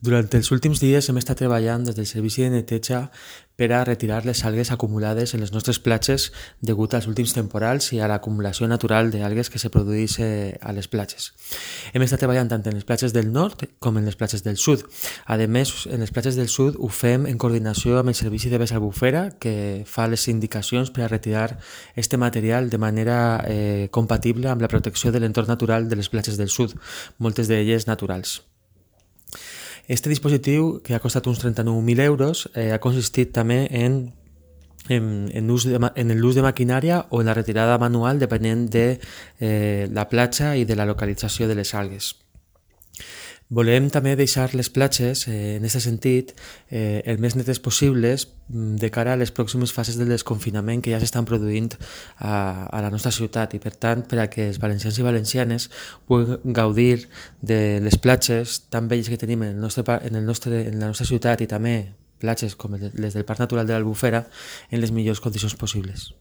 Durant els últims dies hem estat treballant des del servici de neteja per a retirar les algues acumulades en les nostres platges degut als últims temporals i a l'acumulació natural d'algues que se produeix a les platges. Hem estat treballant tant en les platges del nord com en les platges del sud. A més, en les platges del sud ho fem en coordinació amb el servici de Besa Albufera, que fa les indicacions per a retirar este material de manera compatible amb la protecció de l'entorn natural de les platges del sud, moltes d'elles naturals. Este dispositiu, que ha costat uns 39.000 euros, ha consistit també en l'ús de maquinària o en la retirada manual depenent de la platja i de la localització de les algues. Volem també deixar les platges, en aquest sentit, el més netes possibles de cara a les pròximes fases del desconfinament que ja s'estan produint a la nostra ciutat i, per tant, per a que els valencians i valencianes puguin gaudir de les platges tan belles que tenim en la nostra ciutat i també platges com les del Parc Natural de l'Albufera en les millors condicions possibles.